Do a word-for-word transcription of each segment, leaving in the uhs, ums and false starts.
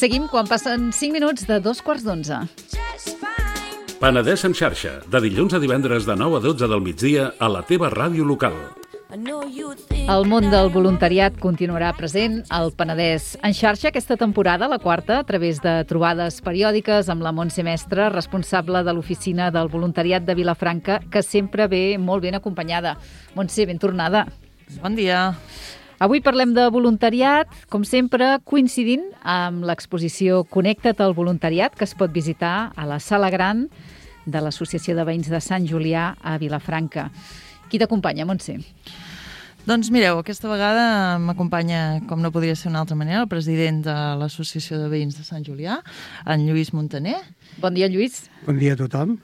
Seguim quan passen cinc minuts de dos quarts d'onze. Penedès en xarxa, de dilluns a divendres de nou a dotze del migdia a la teva ràdio local. El món del voluntariat continuarà present al Penedès en xarxa aquesta temporada, la quarta, a través de trobades periòdiques amb la Montse Mestre, responsable de l'oficina del voluntariat de Vilafranca, que sempre ve molt ben acompanyada. Montse, ben tornada. Bon dia. Avui parlem de voluntariat, com sempre, coincidint amb l'exposició Connecta't al voluntariat, que es pot visitar a la Sala Gran de l'Associació de Veïns de Sant Julià a Vilafranca. Qui t'acompanya, Montse? Doncs mireu, aquesta vegada m'acompanya, com no podria ser d'una altra manera, el president de l'Associació de Veïns de Sant Julià, en Lluís Montaner. Bon dia, Lluís. Bon dia a tothom.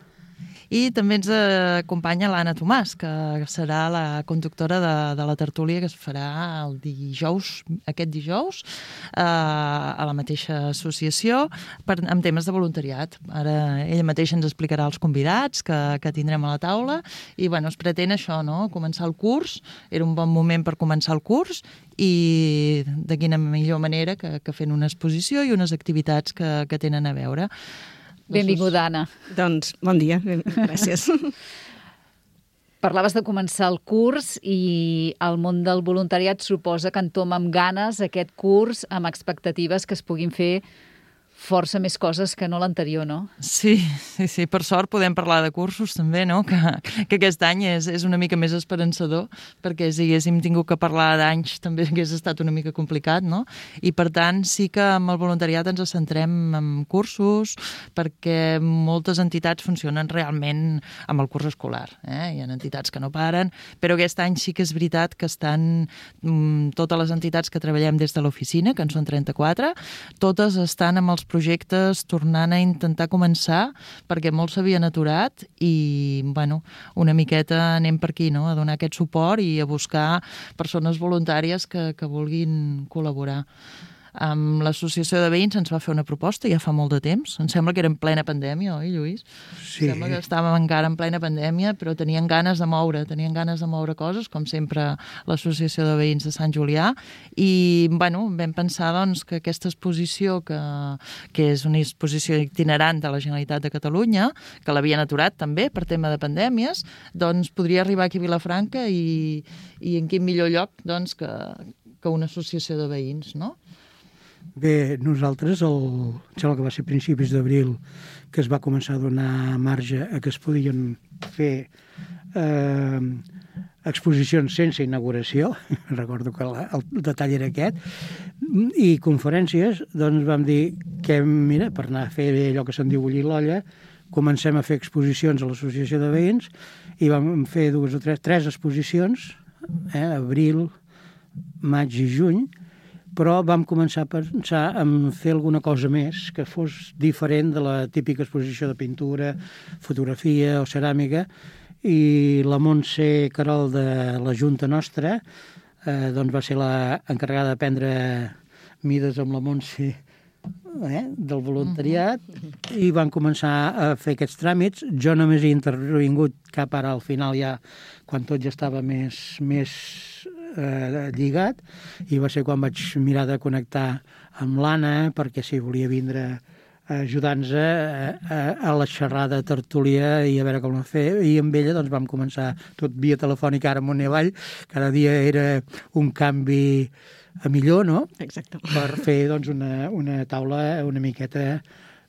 I també ens acompanya l'Anna Tomàs, que serà la conductora de, de la tertúlia que es farà el dijous, aquest dijous, eh, a la mateixa associació, per, amb temes de voluntariat. Ara ella mateixa ens explicarà els convidats que, que tindrem a la taula i bueno, es pretén això, no? Començar el curs, era un bon moment per començar el curs i de quina millor manera que, que fent una exposició i unes activitats que, que tenen a veure. Benvinguda, Anna. Doncs, bon dia, gràcies. Parlaves de començar el curs i el món del voluntariat suposa que entoma amb ganes aquest curs, amb expectatives que es puguin fer força més coses que no l'anterior, no? Sí, sí, sí. Per sort podem parlar de cursos també, no? Que, que aquest any és, és una mica més esperançador, perquè si haguéssim tingut que parlar d'anys també hagués estat una mica complicat, no? I per tant sí que amb el voluntariat ens centrem en cursos, perquè moltes entitats funcionen realment amb el curs escolar. Eh? Hi ha entitats que no paren, però aquest any sí que és veritat que estan mm, totes les entitats que treballem des de l'oficina, que en són trenta-quatre, totes estan amb els projectes tornant a intentar començar perquè molts s'havien aturat i, bueno, una miqueta anem per aquí, no? A donar aquest suport i a buscar persones voluntàries que, que vulguin col·laborar. Amb l'Associació de Veïns ens va fer una proposta ja fa molt de temps. Em sembla que era en plena pandèmia, oi, Lluís? Sí. Em sembla que estàvem encara en plena pandèmia, però tenien ganes de moure, tenien ganes de moure coses, com sempre l'Associació de Veïns de Sant Julià. I, bueno, vam pensar, doncs, que aquesta exposició, que, que és una exposició itinerant de la Generalitat de Catalunya, que l'havien aturat també per tema de pandèmies, doncs podria arribar aquí a Vilafranca i, i en quin millor lloc, doncs, que, que una associació de veïns, no? Bé, nosaltres, el, em sembla que va ser a principis d'abril que es va començar a donar marge a que es podien fer eh, exposicions sense inauguració, recordo que la, el detall era aquest, i conferències, doncs vam dir que, mira, per anar a fer allò que se'n diu bullir l'olla, comencem a fer exposicions a l'Associació de Veïns i vam fer dues o tres, tres exposicions, eh, abril, maig i juny, però vam començar a pensar en fer alguna cosa més que fos diferent de la típica exposició de pintura, fotografia o ceràmica, i la Montse Carol de la Junta nostra eh, doncs va ser la encarregada de prendre mides amb la Montse eh, del voluntariat uh-huh. i van començar a fer aquests tràmits. Jo només he intervingut cap ara al final ja, quan tot ja estava més, més eh, lligat, i va ser quan vaig mirar de connectar amb l'Anna perquè si volia vindre a ajudar-nos a, a, a la xerrada tertúlia i a veure com ho fer, i amb ella doncs vam començar tot via telefònica, ara amunt i avall, cada dia era un canvi a millor, no? Exacte. Per fer doncs una, una taula una miqueta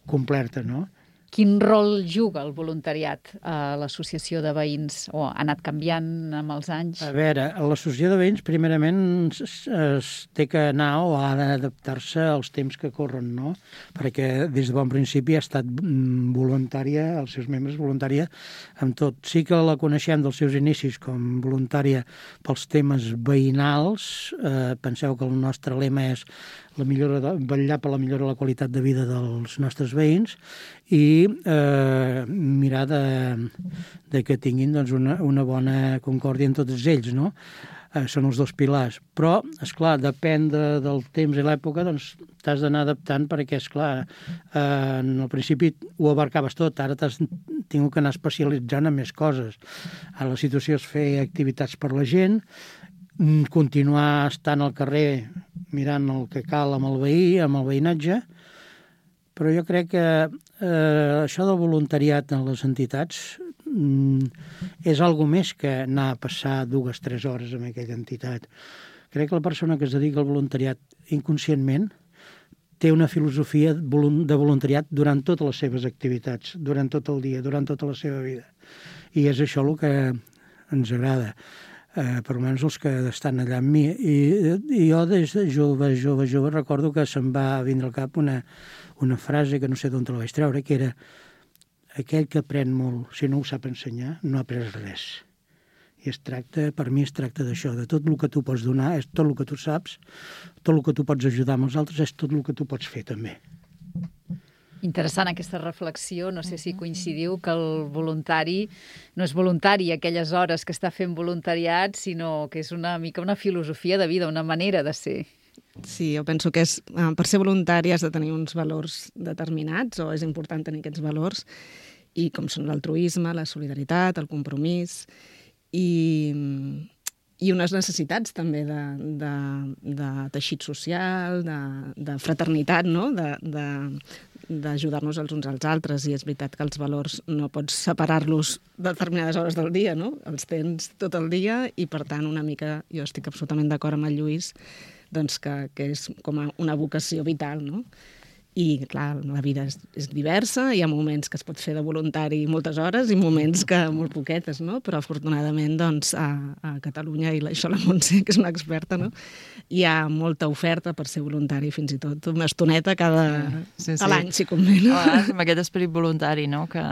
completa, no? Quin rol juga el voluntariat a l'associació de veïns? O ha anat canviant amb els anys? A veure, l'associació de veïns primerament es, es té que anar o ha d'adaptar-se als temps que corren, no? Perquè des de bon principi ha estat voluntària, els seus membres voluntària amb tot. Sí que la coneixem dels seus inicis com voluntària pels temes veïnals. Eh, penseu que el nostre lema és la millora de, vetllar per la millora de la qualitat de vida dels nostres veïns i eh, mirar de, de que tinguin doncs, una, una bona concòrdia en tots ells, no? Eh, són els dos pilars. Però, esclar, depèn de, del temps i l'època, doncs t'has d'anar adaptant perquè, esclar, eh, en el principi ho abarcaves tot, ara t'has tingut que anar especialitzant en més coses. Ara la situació és fer activitats per la gent, continuar estant al carrer mirant el que cal amb el veí, amb el veïnatge, però jo crec que eh, això del voluntariat en les entitats mm, és algo més que anar a passar dues, tres hores en aquella entitat. Crec que la persona que es dedica al voluntariat inconscientment té una filosofia de voluntariat durant totes les seves activitats, durant tot el dia, durant tota la seva vida. I és això el que ens agrada, eh, per almenys els que estan allà amb mi. I, i jo des de jove, jove, jove, recordo que se'm va vindre al cap una, una frase que no sé d'on te la vaig treure, que era: aquell que aprèn molt, si no ho sap ensenyar, no ha après res. I es tracta, per mi es tracta d'això, de tot el que tu pots donar, és tot el que tu saps, tot el que tu pots ajudar amb els altres, és tot el que tu pots fer també. Interessant aquesta reflexió, no sé si coincidiu que el voluntari no és voluntari aquelles hores que està fent voluntariat, sinó que és una mica una filosofia de vida, una manera de ser. Sí, jo penso que és, per ser voluntari has de tenir uns valors determinats, o és important tenir aquests valors, i com són l'altruisme, la solidaritat, el compromís, i, i unes necessitats també de, de, de teixit social, de, de fraternitat, no? de, de, d'ajudar-nos els uns als altres, i és veritat que els valors no pots separar-los de determinades hores del dia, no? Els tens tot el dia i, per tant, una mica, jo estic absolutament d'acord amb el Lluís, doncs que, que és com a una vocació vital, no? I, clar, la vida és, és diversa, hi ha moments que es pot fer de voluntari moltes hores i moments que molt poquetes, no? Però, afortunadament, doncs, a, a Catalunya, i això la Montse, que és una experta, no? Hi ha molta oferta per ser voluntari, fins i tot una estoneta cada... Sí, sí, sí. A l'any, si convé, no? A vegades, amb aquest esperit voluntari, no?, que,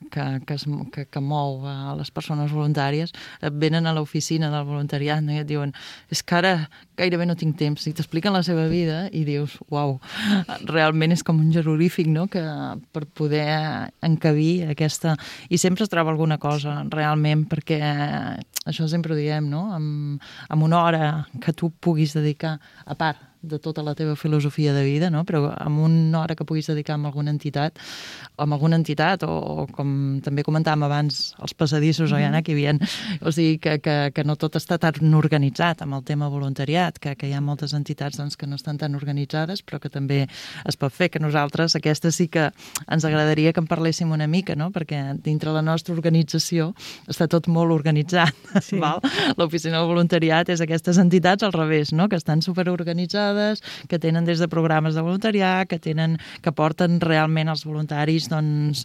que, que, es, que, que mou a les persones voluntàries, et venen a l'oficina del voluntariat, no?, i et diuen, és que ara gairebé no tinc temps, i t'expliquen la seva vida i dius, uau, realment és com un jeroglífic, no?, que per poder encabir aquesta... I sempre es troba alguna cosa, realment, perquè això sempre ho diem, no?, amb, amb una hora que tu puguis dedicar, a part de tota la teva filosofia de vida, no?, però amb una hora que puguis dedicar a alguna entitat, o amb alguna entitat, o, o com també comentàvem abans, els passadissos, mm-hmm. o hi havia, o sigui, que, que, que no tot està tan organitzat amb el tema voluntariat, que, que hi ha moltes entitats doncs, que no estan tan organitzades, però que també es pot fer, que nosaltres, aquesta sí que ens agradaria que en parléssim una mica, no?, perquè dintre la nostra organització està tot molt organitzat, sí. Val? L'oficina del voluntariat és aquestes entitats al revés, no?, que estan superorganitzades, que tenen des de programes de voluntariat, que tenen, que porten realment els voluntaris, doncs,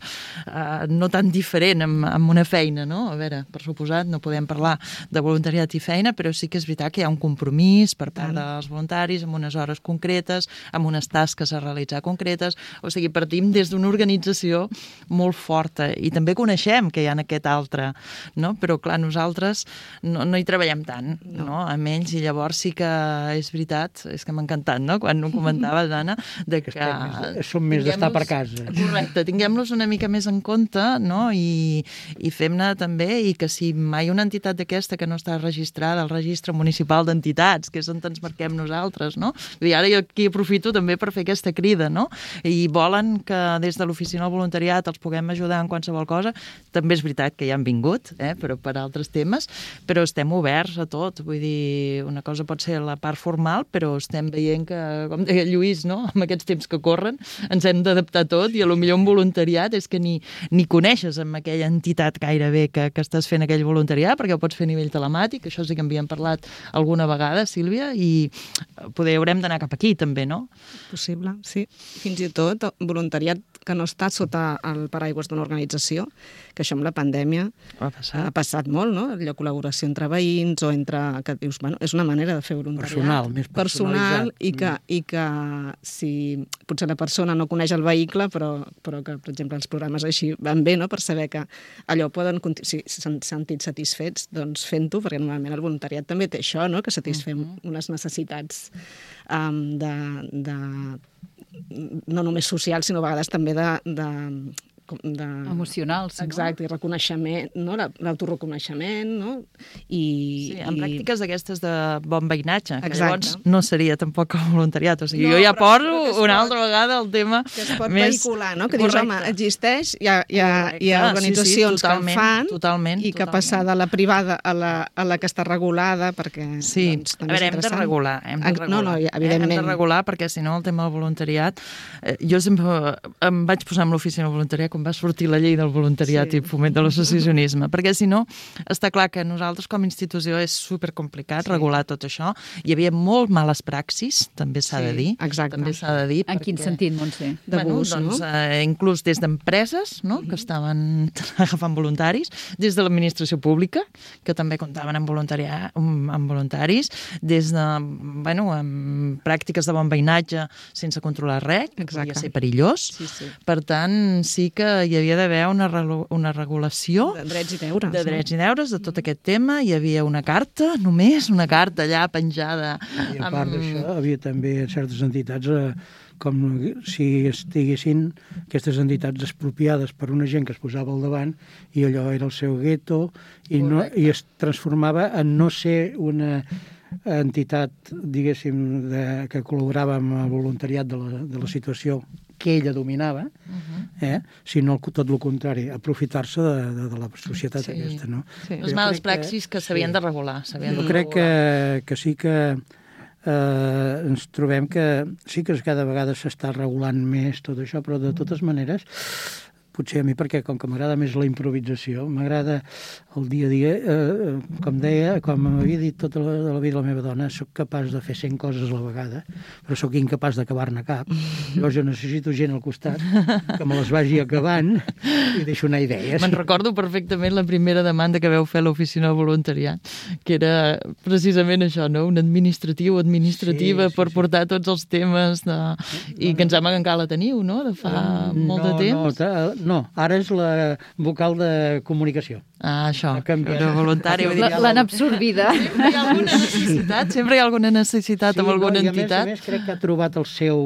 eh, no tan diferent amb, amb una feina, no? A veure, per suposat, no podem parlar de voluntariat i feina, però sí que és veritat que hi ha un compromís per part dels voluntaris amb unes hores concretes, amb unes tasques a realitzar concretes, o sigui, partim des d'una organització molt forta, i també coneixem que hi ha aquest altre, no? Però, clar, nosaltres no, no hi treballem tant, no. no? Amb ells, i llavors sí que és veritat, és que m'ha encantat, no?, quan ho comentaves, Anna, de que... que som més d'estar per casa. Correcte, tinguem-los una mica més en compte, no?, i, i fem-ne també, i que si mai una entitat d'aquesta que no està registrada al registre municipal d'entitats, que és on ens marquem nosaltres, no? Vull dir, ara jo aquí aprofito també per fer aquesta crida, no? I volen que des de l'oficina del voluntariat els puguem ajudar en qualsevol cosa. També és veritat que ja han vingut, eh, però per altres temes, però estem oberts a tot. Vull dir, una cosa pot ser la part formal, però estem veient que, com deia Lluís, no?, amb aquests temps que corren, ens hem d'adaptar tot, i a lo millor un voluntariat és que ni, ni coneixes amb aquella entitat gairebé que, que estàs fent aquell voluntariat, perquè ho pots fer a nivell telemàtic, això sí que en havíem parlat alguna vegada, Sílvia, i poder haurem d'anar cap aquí també, no? Possible, sí. Fins i tot voluntariat que no està sota el paraigües d'una organització, que això amb la pandèmia ha passat, ha passat molt, no? La col·laboració entre veïns o entre... que dius, bueno, és una manera de fer voluntariat. Personal, més personal, i que, i que si potser la persona no coneix el vehicle, però, però que, per exemple, els programes així van bé, no?, per saber que allò poden... Si s'han sentit satisfets, doncs fent-ho, perquè normalment el voluntariat també té això, no?, que satisfem uh-huh. unes necessitats um, de... de no només social, sinó a vegades també de, de de... emocionals, no? Exacte, i reconeixement, no? L'autoreconeixement, no? I, sí, en i... pràctiques d'aquestes de bon veïnatge, que Exacte. llavors no seria tampoc el voluntariat. O sigui, No, jo ja però- poso però que es una pot- altra vegada el tema que es pot més... vehicular, no? Que dius, home, Correcte. existeix, hi ha, hi ha, hi ha Correcte, organitzacions sí, sí, totalment, que en fan totalment, i que totalment. passar de la privada a la, a la que està regulada, perquè Sí, doncs, a també veure, és hem de interessant. regular, hem de Ex- regular. No, no, eh? evidentment. Hem de regular perquè, si no, el tema del voluntariat... Eh, jo sempre em vaig posar amb l'oficina del voluntariat quan va sortir la llei del voluntariat Sí. i foment de l'associacionisme, perquè, si no, està clar que nosaltres com a institució és supercomplicat Sí. regular tot això. Hi havia molt males praxis, també s'ha Sí, de dir. exacte. També s'ha de dir. En quin perquè- sentit, Montse? D'abús, bueno, doncs, no? eh, inclús des d'empreses, no?, que estaven agafant voluntaris, des de l'administració pública, que també comptaven amb, voluntarià, amb, amb voluntaris, des de, bueno, amb pràctiques de bon veïnatge sense controlar res, que Exacte. podia ser perillós. Sí, sí. Per tant, sí que hi havia d'haver una, relo- una regulació De drets i deures. de drets i deures de tot aquest tema. Hi havia una carta, només una carta allà penjada. I a part d'això, havia també certes entitats, eh, com si estiguessin aquestes entitats expropiades per una gent que es posava al davant i allò era el seu gueto i, no, i es transformava en no ser una entitat, diguéssim, de, que col·laborava amb el voluntariat de la, de la situació que ella dominava, eh? sinó tot el contrari, aprofitar-se de, de, de la societat Sí. aquesta. No? Sí. Les Jo males crec que- praxis que s'havien sí. de regular. s'havien Jo de crec regular. que, que sí que eh, ens trobem que sí que cada vegada s'està regulant més tot això, però de totes maneres potser a mi, perquè com que m'agrada més la improvisació, m'agrada el dia a dia, eh, com deia, com m'havia dit tota la, de la vida la meva dona, sóc capaç de fer cent coses a la vegada, però sóc incapaç d'acabar-ne cap. Llavors jo necessito gent al costat que me les vagi acabant i deixo anar idees. Me'n recordo perfectament la primera demanda que veu fer a l'oficina de voluntariat, que era precisament això, no? Un administratiu, administrativa, Sí, sí, per sí. portar tots els temes de... i que em sembla que encara la teniu, no?, de fa molt de no, temps. No, no, ara és la vocal de comunicació. Ah, això, Ha canviat. era voluntari. Vull dir, La- L'han absorbida. sempre hi ha alguna necessitat, sempre hi ha alguna necessitat amb alguna no, entitat. I a més, a més crec que ha trobat el seu,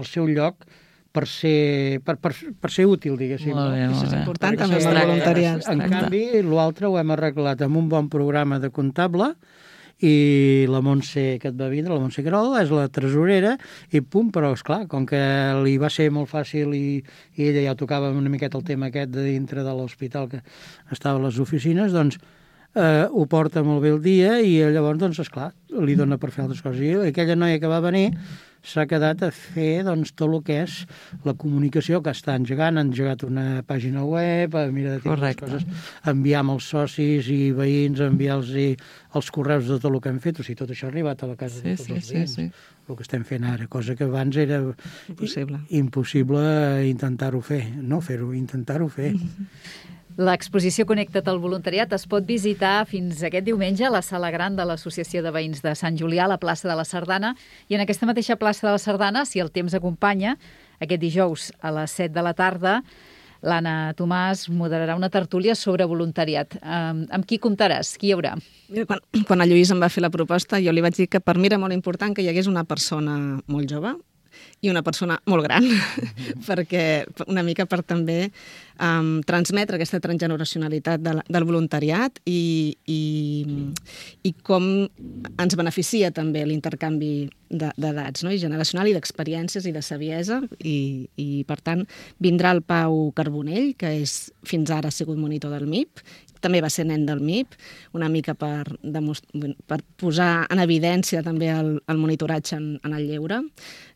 el seu lloc per ser, per, per, per ser útil, diguéssim. Molt bé, no? molt Això és bé. important, Perquè també, això el es tracta, voluntariat. això es En tracta. canvi, l'altre ho hem arreglat amb un bon programa de comptable i la Montse que et va vindre, la Montse Querol, és la tresorera i pum, però esclar, com que li va ser molt fàcil i, i ella ja tocava una miqueta el tema aquest de dintre de l'hospital que estava a les oficines, doncs eh, ho porta molt bé el dia i llavors, doncs, esclar, li dona per fer altres coses. I aquella noia que va venir s'ha quedat a fer doncs, tot el que és la comunicació que està engegant, ha engegat una pàgina web, a mirar de tipus Correcte. coses, enviar amb els socis i veïns, enviar-los els correus de tot el que hem fet, o sigui, tot això ha arribat a la casa Sí, de tots sí, els sí, veïns, sí. el que estem fent ara, cosa que abans era Impossible. impossible intentar-ho fer, no fer-ho, intentar-ho fer. L'exposició Connecta't al voluntariat es pot visitar fins aquest diumenge a la Sala Gran de l'Associació de Veïns de Sant Julià, a la plaça de la Sardana, i en aquesta mateixa plaça de la Sardana, si el temps acompanya, aquest dijous a les set de la tarda, l'Anna Tomàs moderarà una tertúlia sobre voluntariat. Um, amb qui comptaràs? Qui hi haurà? Mira, quan, quan el Lluís em va fer la proposta, jo li vaig dir que per mi era molt important que hi hagués una persona molt jove i una persona molt gran, perquè una mica per també um, transmetre aquesta transgeneracionalitat de la, del voluntariat i, i, i com ens beneficia també l'intercanvi d'edats, no? I generacional i d'experiències i de saviesa i, i per tant vindrà el Pau Carbonell, que és, fins ara ha sigut monitor del M I P, també va ser nen del M I P, una mica per, per posar en evidència també el, el monitoratge en, en el lleure,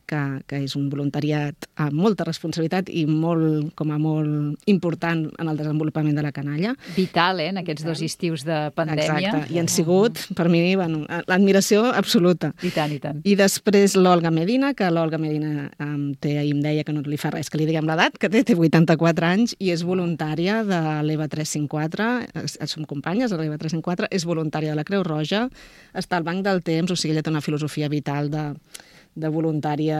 que, que és un voluntariat amb molta responsabilitat i molt, com a molt important en el desenvolupament de la canalla. Vital, eh, en aquests dos estius de pandèmia. Exacte, i han sigut, per mi, bueno, l'admiració absoluta. I tant, i tant. I després l'Olga Medina, que l'Olga Medina um, té, ahir em deia que no li fa res que li diguem l'edat, que té, té vuitanta-quatre anys i és voluntària de l'E V A tres cent cinquanta quatre, som companyes de l'E V A tres cent cinquanta quatre, és voluntària de la Creu Roja, està al Banc del Temps, o sigui, ella té una filosofia vital de, de voluntària.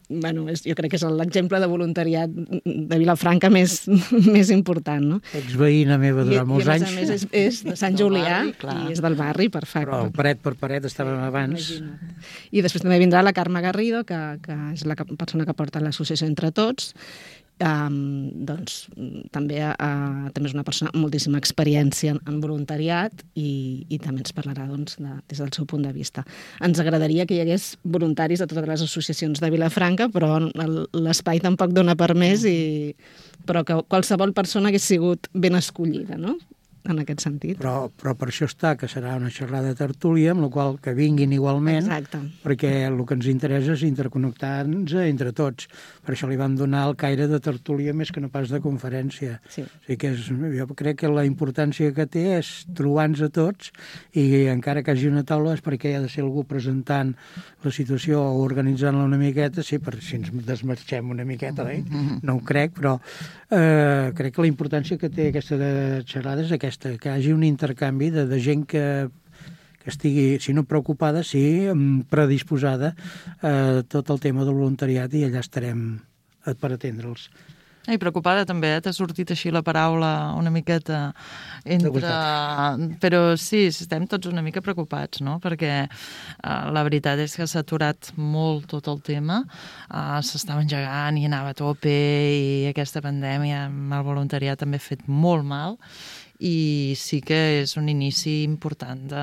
Bueno, és, jo crec que és l'exemple de voluntariat de Vilafranca més, més important, no? Exveïna meva I, durant molts i a anys. més a més és, és de Sant Julià barri, clar. i és del barri, perfecte. Però paret per paret estàvem abans. Imagina't. I després també vindrà la Carme Garrido, que, que és la que- persona que porta l'associació Entre Tots, Um, doncs també, uh, també és una persona amb moltíssima experiència en, en voluntariat i, i també ens parlarà doncs, de, des del seu punt de vista. Ens agradaria que hi hagués voluntaris de totes les associacions de Vilafranca, però l'espai tampoc dona per més, i, però que qualsevol persona hagués sigut ben escollida, no?, en aquest sentit. Però, però per això està, que serà una xerrada de tertúlia, amb la qual que vinguin igualment, exacte, perquè el que ens interessa és interconnectar-nos entre tots. Per això li vam donar el caire de tertúlia més que no pas de conferència. Sí. O sigui que és, jo crec que la importància que té és trobar-nos a tots, i encara que hagi una taula és perquè hi ha de ser algú presentant la situació o organitzant-la una miqueta, sí, per si ens desmarxem una miqueta, eh? No ho crec, però eh, crec que la importància que té aquesta de xerrada és aquesta, que hi hagi un intercanvi de, de gent que, que estigui, si no preocupada, sí predisposada a tot el tema del voluntariat, i allà estarem per atendre'ls. I preocupada també, eh? T'ha sortit així la paraula una miqueta entre... Però sí, estem tots una mica preocupats, no? Perquè uh, la veritat és que s'ha aturat molt tot el tema, uh, s'estava engegant i anava a tope, i aquesta pandèmia amb el voluntariat també ha fet molt mal, i sí que és un inici important de,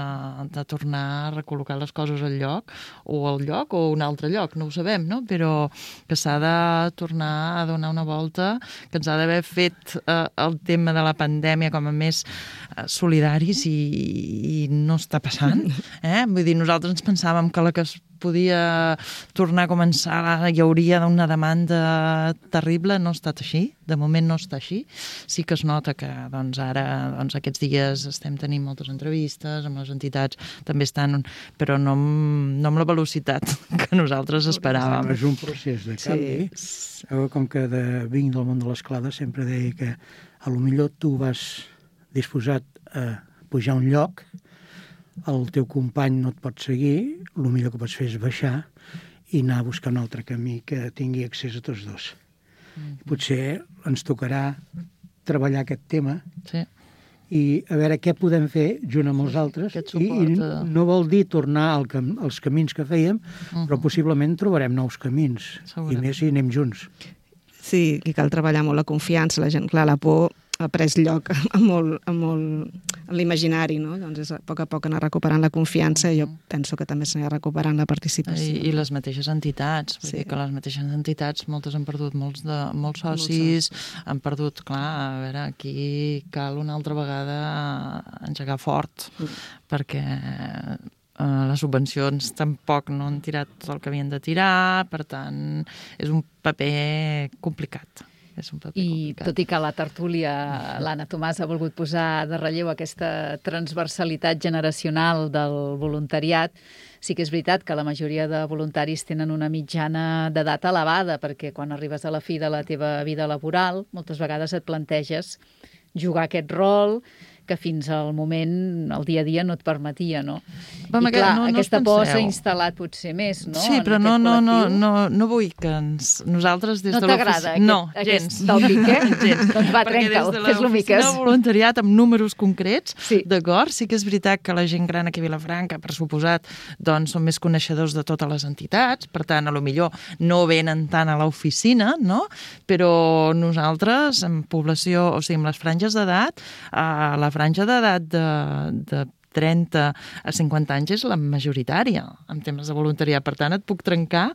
de tornar a recol·locar les coses al lloc, o al lloc o a un altre lloc, no ho sabem, no? Però que s'ha de tornar a donar una volta, que ens ha d'haver fet eh, el tema de la pandèmia com a més eh, solidaris, i, i no està passant. Eh? Vull dir, nosaltres ens pensàvem que la que es podia tornar a començar, hi hauria una demanda terrible, no ha estat així, de moment no està així. Sí que es nota que doncs, ara, doncs, aquests dies estem tenint moltes entrevistes amb les entitats, també estan, però no amb, no amb la velocitat que nosaltres esperàvem. És un procés de canvi. Sí. Com que de, vinc del món de l'esclada, sempre deia que a lo millor tu vas disposat a pujar a un lloc, el teu company no et pot seguir, el millor que pots fer és baixar i anar a buscar un altre camí que tingui accés a tots dos. Mm. Potser ens tocarà treballar aquest tema, sí, i a veure què podem fer junt amb els altres, i, i no vol dir tornar al cam als camins que fèiem, uh-huh, però possiblement trobarem nous camins, i més si anem junts. Sí, i cal treballar molt la confiança, la gent, clar, la por ha pres lloc a molt, a molt en l'imaginari, no? Doncs és a poc a poc anar recuperant la confiança, i jo penso que també s'anirà recuperant la participació. I, i les mateixes entitats, vull sí. dir que les mateixes entitats, moltes han perdut molts, de, molts socis, molts han perdut, clar, a veure, aquí cal una altra vegada engegar fort, mm. perquè Uh, les subvencions tampoc no han tirat tot el que havien de tirar, per tant, és un paper complicat. És un paper I complicat. Tot i que la tertúlia, l'Anna Tomàs ha volgut posar de relleu aquesta transversalitat generacional del voluntariat, sí que és veritat que la majoria de voluntaris tenen una mitjana d'edat elevada, perquè quan arribes a la fi de la teva vida laboral, moltes vegades et planteges jugar aquest rol que fins al moment, el dia a dia, no et permetia, no? Vam, I clar, no, no aquesta por s'ha instal·lat potser més, no? Sí, però no, no, no, no, no vull que ens, nosaltres des no de l'oficina... No t'agrada no, aquest tòpic, eh? gens. Doncs va, trenca'l, fes-lo miques. De voluntariat amb números concrets, sí. d'acord? Sí que és veritat que la gent gran aquí a Vilafranca, per suposat, doncs són més coneixedors de totes les entitats, per tant, a lo millor no venen tant a l'oficina, no? Però nosaltres, en població, o sigui, amb les franges d'edat, a la franja d'edat de, de trenta a cinquanta anys és la majoritària en temes de voluntariat. Per tant, et puc trencar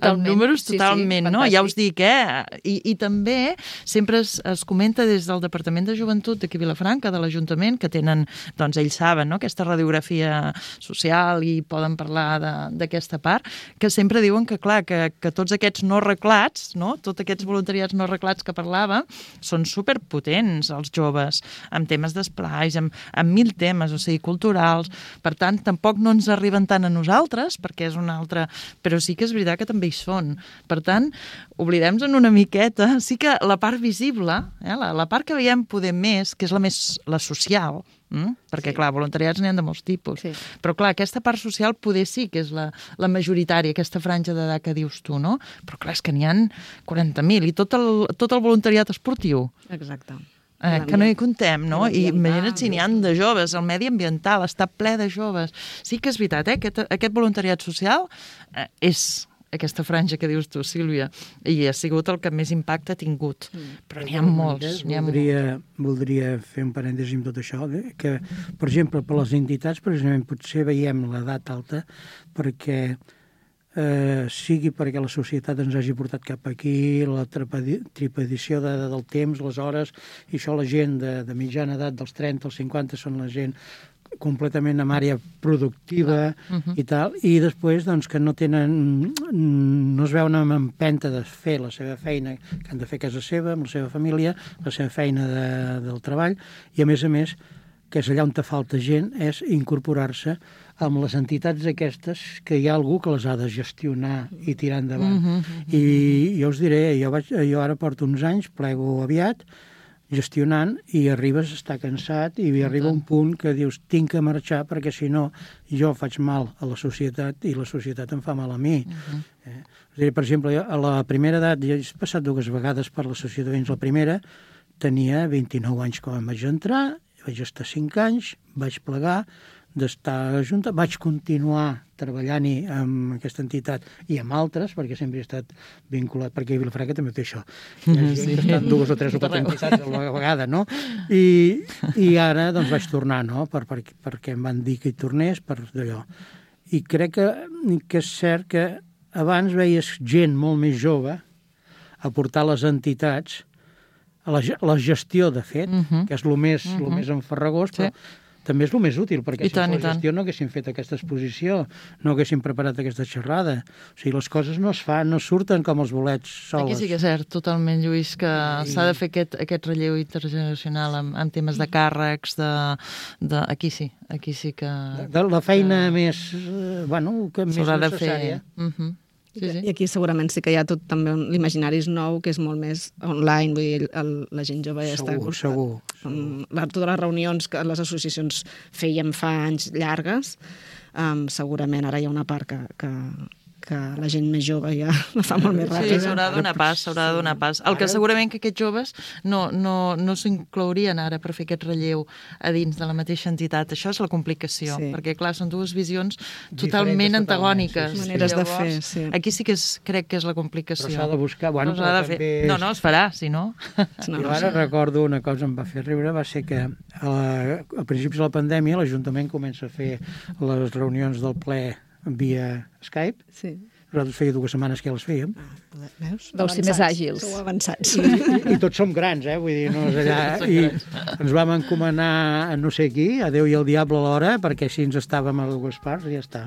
amb números totalment, sí, sí, no? Ja us dic, eh? I, i també sempre es, es comenta des del Departament de Joventut d'aquí a Vilafranca, de l'Ajuntament, que tenen, doncs ells saben, no?, aquesta radiografia social i poden parlar d'aquesta part, que sempre diuen que, clar, que, que tots aquests no arreglats, no?, tots aquests voluntariats no arreglats que parlava, són superpotents, els joves, amb temes d'esplais, amb, amb mil temes, o sigui, cultura culturals, per tant, tampoc no ens arriben tant a nosaltres, perquè és una altra... Però sí que és veritat que també hi són. Per tant, oblidem-nos una miqueta. Sí que la part visible, eh, la, la part que veiem poder més, que és la més la social, mm? perquè, sí. clar, voluntariats n'hi ha de molts tipus. Sí. Però, clar, aquesta part social poder sí que és la, la majoritària, aquesta franja d'edat que dius tu, no? Però, clar, és que n'hi ha quaranta mil i tot el, tot el voluntariat esportiu. Exacte. Eh, que no hi contem, no? I imagina't si n'hi ha de joves, el medi ambiental està ple de joves. Sí que és veritat, eh? Aquest, aquest voluntariat social eh, és aquesta franja que dius tu, Sílvia, i ha sigut el que més impacte ha tingut. Però n'hi ha molts. N'hi ha voldria, voldria fer un parèntesi amb tot això, eh? Que, per exemple, per les entitats, precisament, potser veiem l'edat alta perquè eh, sigui perquè la societat ens hagi portat cap aquí, la tripedició de, de, del temps, les hores, i això la gent de, de mitjana edat, dels trenta als cinquanta, són la gent completament en àrea productiva uh -huh. i tal, i després doncs, que no tenen, no es veuen amb empenta de fer la seva feina que han de fer a casa seva, amb la seva família, la seva feina de, del treball, i a més a més, que és allà on te falta gent, és incorporar-se amb les entitats aquestes, que hi ha algú que les ha de gestionar i tirar endavant. Uh -huh. I jo us diré, jo, vaig, jo ara porto uns anys, plego aviat, gestionant, i arribes a estar cansat i arriba un punt que dius tinc que marxar perquè si no jo faig mal a la societat i la societat em fa mal a mi. Uh-huh. eh? dir, per exemple, jo, a la primera edat, jo he passat dues vegades per l'associació de veïns. La primera tenia vint-i-nou anys quan vaig entrar, vaig estar cinc anys, vaig plegar d'estar a Junta, vaig continuar treballant-hi amb aquesta entitat i amb altres, perquè sempre he estat vinculat, perquè a Vilafranca també té això. Hi ha gent sí. que estan dues o tres o quatre entitats a la vegada, no? I, i ara doncs vaig tornar, no? Per, per, perquè em van dir que hi tornés, per d'allò. I crec que, que és cert que abans veies gent molt més jove aportar les entitats a la, a la gestió, de fet, uh -huh. que és el més, uh -huh. més enfarragós, però sí. també és el més útil, perquè I si tant, fos la gestió no haguéssim fet aquesta exposició, no haguéssim preparat aquesta xerrada. O sigui, les coses no es fan, no surten com els bolets soles. Aquí sí que és cert, totalment, Lluís, que I... s'ha de fer aquest, aquest relleu intergeneracional en, en temes de càrrecs, de, de... Aquí sí, aquí sí que... De, de la feina que... més, bueno, que més necessària. Uh -huh. Sí, sí. I aquí segurament sí que hi ha tot també l'imaginari és nou, que és molt més online, vull dir, el, la gent jove ja segur, està... Segur, um, segur. Totes les reunions que les associacions feien fa anys llargues, um, segurament ara hi ha una part que, que, que la gent més jove ja la fa molt més ràpida. Sí, s'haurà de donar pas, s'haurà de donar pas. El que segurament que aquests joves no, no, no s'inclourien ara per fer aquest relleu a dins de la mateixa entitat. Això és la complicació, sí. perquè, clar, són dues visions totalment antagòniques. Sí, sí. Maneres Llavors, de fer, sí. Aquí sí que és, crec que és la complicació. Però s'ha de buscar... Bueno, no, s'ha de fer. és... no, no, es farà, si no... no jo ara no recordo una cosa que em va fer riure, va ser que a, a principis de la pandèmia l'Ajuntament comença a fer les reunions del ple via Skype. Sí. Nosaltres feia dues setmanes que ja les fèiem. Ah, veus? Deu ser més àgils. Sou avançats. I, i, I tots som grans, eh? Vull dir, no és allà... I ens vam encomanar a no sé qui, a Déu i al diable alhora, perquè així ens estàvem a dues parts i ja està.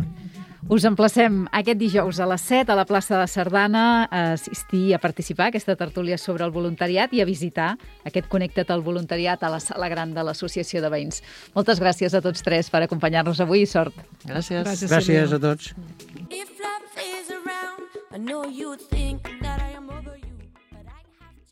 Us emplacem aquest dijous a les set a la plaça de Sardana a assistir, a participar a aquesta tertúlia sobre el voluntariat i a visitar aquest Connecta't al voluntariat a la sala gran de l'Associació de Veïns. Moltes gràcies a tots tres per acompanyar-nos avui i sort. Gràcies. Gràcies, gràcies a tots. If love is around, I know you think